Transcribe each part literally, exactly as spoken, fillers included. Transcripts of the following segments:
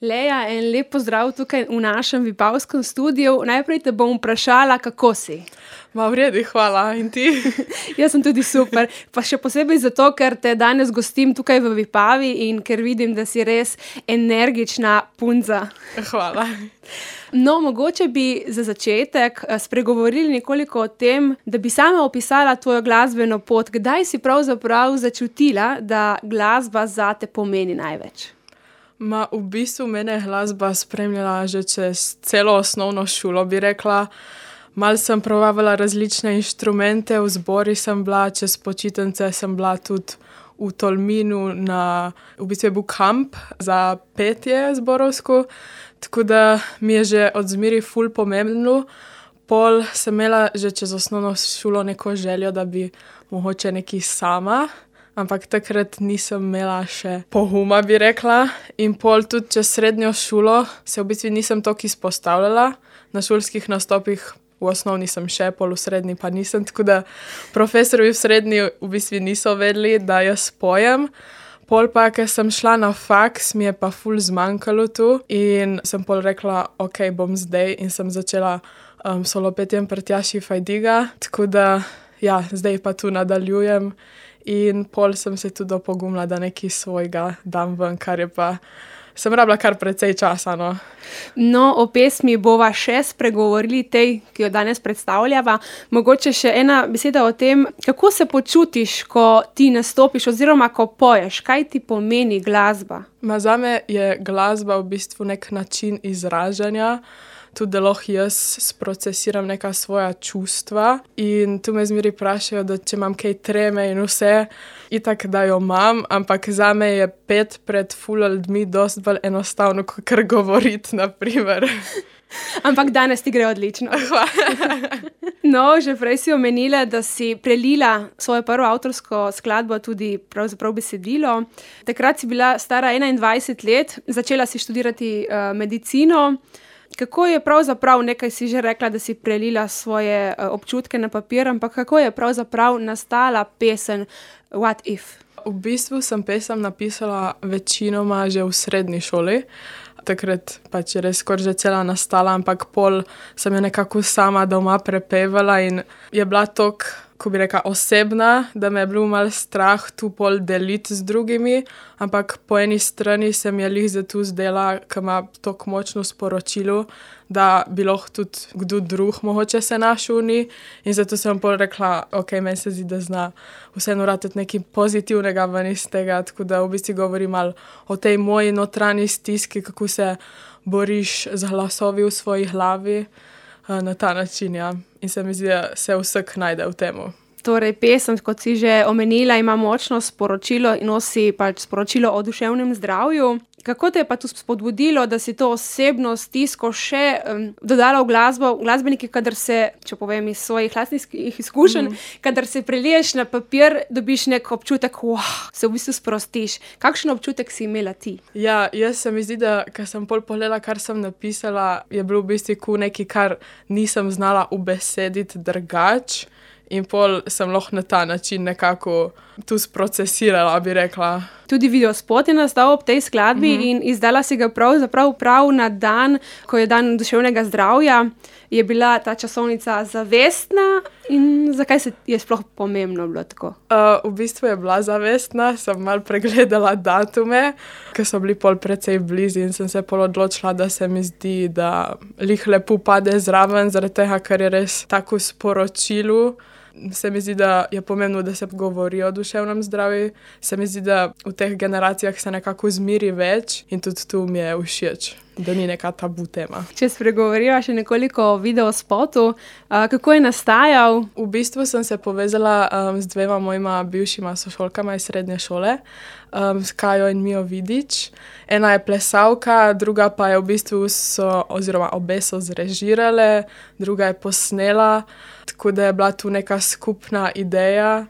Leja, en lep pozdrav tukaj v našem vipavskem studiu. Najprej te bom vprašala, kako si? Ma v redu, hvala. In ti? Jaz sem tudi super. Pa še posebej zato, ker te danes gostim tukaj v Vipavi in ker vidim, da si res energična punca. Hvala. No, mogoče bi za začetek spregovorili nekoliko o tem, da bi sama opisala tvojo glasbeno pot. Kdaj si pravzaprav začutila, da glasba zate pomeni največ? Ma v bistvu mene je glasba spremljala že čez celo osnovno šolo, bi rekla. Malo sem probavala različne inštrumente, v zbori sem bila, čez počitnice sem bila tudi v Tolminu na, v bistvu je bil kamp za petje zborovsko, tako da mi je že od zmeri ful pomembno. Pol sem imela že čez osnovno šolo neko željo, da bi mogoče nekaj sama, ampak takrat nisem imela še poguma, bi rekla. In pol tudi čez srednjo šolo se v bistvu nisem toliko izpostavljala na šolskih nastopih. V osnovni sem še, pol v srednji pa nisem, tako da profesorji v srednji v bistvu niso vedeli, da jaz pojem. Pol pa, ker sem šla na faks, mi je pa ful zmanjkalo tu in sem pol rekla, ok, bom zdaj in sem začela um, solopetjem pri Tjaši Fajdiga, tako da ja, zdaj pa tu nadaljujem in pol sem se tudi opogumila, da nekaj svojega dam ven, kar je pa sem rabila kar precej časa, no. No, o pesmi bova še spregovorili, tej, ki jo danes predstavljava. Mogoče še ena beseda o tem, kako se počutiš, ko ti nastopiš oziroma ko poješ. Kaj ti pomeni glasba? Ma zame je glasba v bistvu nek način izražanja, tudi da lahko jaz sprocesiram neka svoja čustva in tu me zmeri vprašajo, da če imam kaj treme in vse, itak da jo imam, ampak zame je pet pred ful ljudmi dosti bolj enostavno, kakor govoriti, na primer. Ampak danes ti gre odlično. No, že prej si omenila, da si prelila svojo prvo avtorsko skladbo, tudi pravzaprav besedilo. Takrat si bila stara enaindvajset let, začela si študirati uh, medicino. Kako je pravzaprav, nekaj si že rekla, da si prelila svoje uh, občutke na papir, ampak kako je pravzaprav nastala pesem What If? V bistvu sem pesem napisala večinoma že v srednji šoli. Takrat pač je res skoraj že cela nastala, ampak pol sem jo nekako sama doma prepevala in je bila tok, ko bi rekla, osebna, da me je bilo malo strah tu pol deliti z drugimi, ampak po eni strani se mi je lih zato zdela, ko ima tok močno sporočilo, da bi lahko tudi kdo drug mogoče se našel v njej in zato sem pol rekla, ok, meni se zdi, da zna vseeno ratati nekaj pozitivnega ven iz tega, tako da v bistvu govorim malo o tej moji notranji stiski, kako se boriš z glasovi v svoji glavi na ta način, ja. In se mi zdi, da se vsak najde v temu. Torej, pesem, kot si že omenila, ima močno sporočilo in nosi pač sporočilo o duševnem zdravju. Kako te je pa to spodbudilo, da si to osebno stisko še um, dodala v glasbo? Glasbeniki, kadar se, če povem iz svojih lastnih izkušenj, mm. kadar se preliješ na papir, dobiš nek občutek, wow, se v bistvu sprostiš. Kakšen občutek si imela ti? Ja, jaz se mi zdi, da ker sem pol pogledala, kar sem napisala, je bilo v bistvu nekaj, kar nisem znala ubesediti drugače. In pol sem lahko na ta način nekako tu sprocesirala, bi rekla. Tudi videospot je nastal ob tej skladbi mm-hmm. in izdala si ga pravzaprav prav na dan, ko je dan duševnega zdravja. Je bila ta časovnica zavestna in zakaj se je sploh pomembno bilo tako? Uh, v bistvu je bila zavestna, sem malo pregledala datume, ker so bili pol precej blizu in sem se pol odločila, da se mi zdi, da lih lepo pade zraven, zaradi tega, ker je res tako sporočilo. Se mi zdi, da je pomembno, da se govori o duševnem zdravju. Se mi zdi, da v teh generacijah se nekako zmeri več in tudi tu mi je všeč, da ni neka tabu tema. Če spregovoriva še nekoliko o videospotu, uh, kako je nastajal? V bistvu sem se povezala um, z dvema mojima bivšima sošolkama iz srednje šole, um, s Kajo in Mijo Vidič. Ena je plesavka, druga pa je v bistvu so, oziroma obe so zrežirale, druga je posnela, tako da je bila tu neka skupna ideja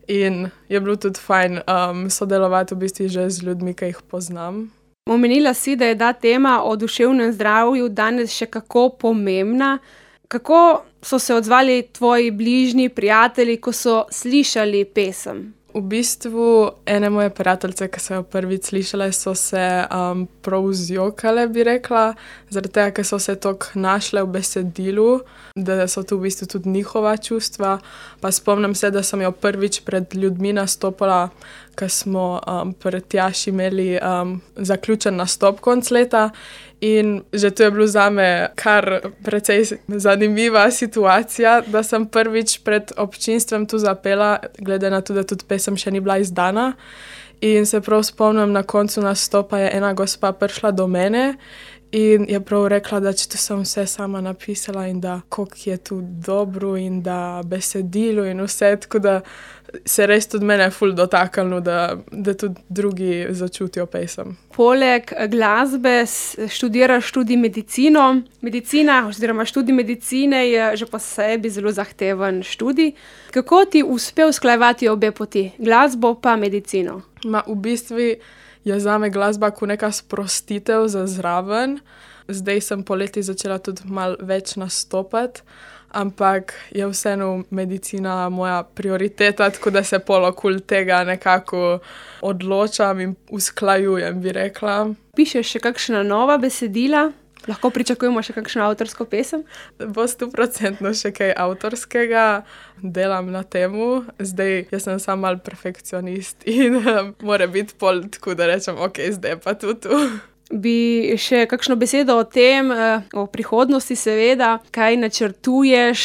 in je bilo tudi fajn um, sodelovati v bistvu že z ljudmi, ki jih poznam. Omenila si, da je ta tema o duševnem zdravju danes še kako pomembna. Kako so se odzvali tvoji bližnji prijatelji, ko so slišali pesem? V bistvu ene moje prijateljice, ki so jo prvič slišale, so se um, prav zjokale, bi rekla, zaradi tega, ker so se toliko našle v besedilu, da so tu v bistvu tudi njihova čustva. Pa spomnim se, da sem jo prvič pred ljudmi nastopala, ko smo um, pred Tjaši imeli um, zaključen nastop konc leta. In že to je bilo zame kar precej zanimiva situacija, da sem prvič pred občinstvom tu zapela, glede na to, da tudi pesem še ni bila izdana. In se prav spomnim, na koncu nastopa je ena gospa prišla do mene in je prav rekla, da če to sem vse sama napisala in da koliko je tu dobro in da besedilo in vse, tako da se res tudi mene ful dotaknilo, da, da tudi drugi začutijo pesem. Poleg glasbe študiraš tudi medicino. Medicina oziroma študij medicine je že po sebi zelo zahteven študij. Kako ti uspe usklajevati obe poti, glasbo pa medicino? Ma, v bistvu je zame glasba kot neka sprostitev za zraven. Zdaj sem poleti začela tudi malo več nastopati, ampak je vseeno medicina moja prioriteta, tako da se pol okoli tega nekako odločam in usklajujem, bi rekla. Pišeš še kakšna nova besedila? Lahko pričakujemo še kakšno avtorsko pesem? Bo stoprocentno še kaj avtorskega, delam na temu. Zdaj, jaz sem sam mal perfekcionist in um, mora biti pol tako, da rečem, ok, zdaj pa tu tu. Bi še kakšno besedo o tem, o prihodnosti seveda, kaj načrtuješ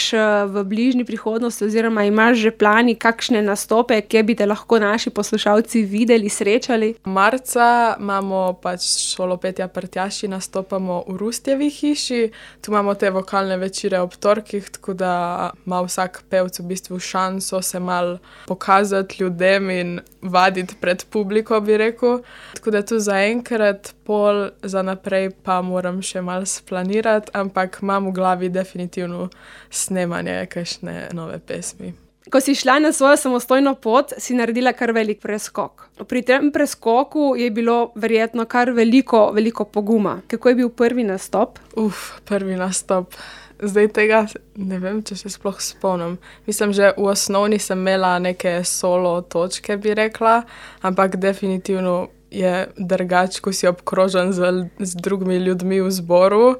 v bližnji prihodnosti oziroma imaš že plani, kakšne nastope, kje bi te lahko naši poslušalci videli, srečali? Marca imamo pač šolopetja pri Tjaši, nastopamo v Rustjevi hiši, tu imamo te vokalne večere ob torkih, tako da ima vsak pevc v bistvu šanso se mal pokazati ljudem in vaditi pred publiko, bi rekel. Tako da tu zaenkrat pol za naprej pa moram še malo splanirati, ampak imam v glavi definitivno snemanje kakšne nove pesmi. Ko si šla na svojo samostojno pot, si naredila kar velik preskok. Pri tem preskoku je bilo verjetno kar veliko, veliko poguma. Kako je bil prvi nastop? Uf, prvi nastop. Zdaj tega ne vem, če se sploh spomnim. Mislim, že v osnovni sem imela neke solo točke, bi rekla, ampak definitivno je drugače, ko si obkrožen z, z drugimi ljudmi v zboru.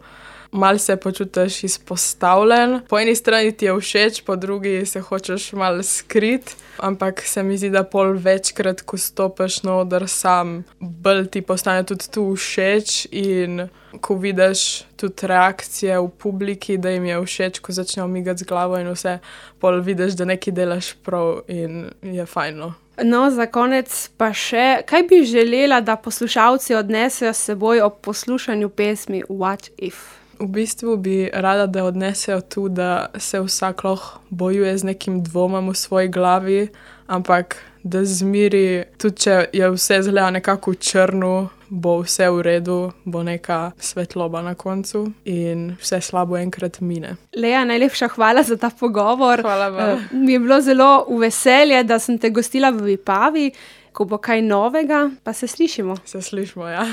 Mal se počutiš izpostavljen. Po eni strani ti je všeč, po drugi se hočeš mal skriti, ampak se mi zdi, da pol večkrat, ko stopiš na oder sam, bolj ti postane tudi tu všeč in ko vidiš tudi reakcije v publiki, da jim je všeč, ko začnejo migati z glavo in vse, pol vidiš, da nekaj delaš prav in je fajno. No, za konec pa še, kaj bi želela, da poslušalci odnesejo s seboj ob poslušanju pesmi What If? V bistvu bi rada, da odnesejo tu, da se vsak lahko bojuje z nekim dvomom v svoji glavi, ampak da zmiri, tudi če je vse zgleda nekako v črnu, bo vse v redu, bo neka svetloba na koncu in vse slabo enkrat mine. Lea, najlepša hvala za ta pogovor. Hvala vam. Mi je bilo zelo v veselje, da sem te gostila v Vipavi. Ko bo kaj novega, pa se slišimo. Se slišimo, ja.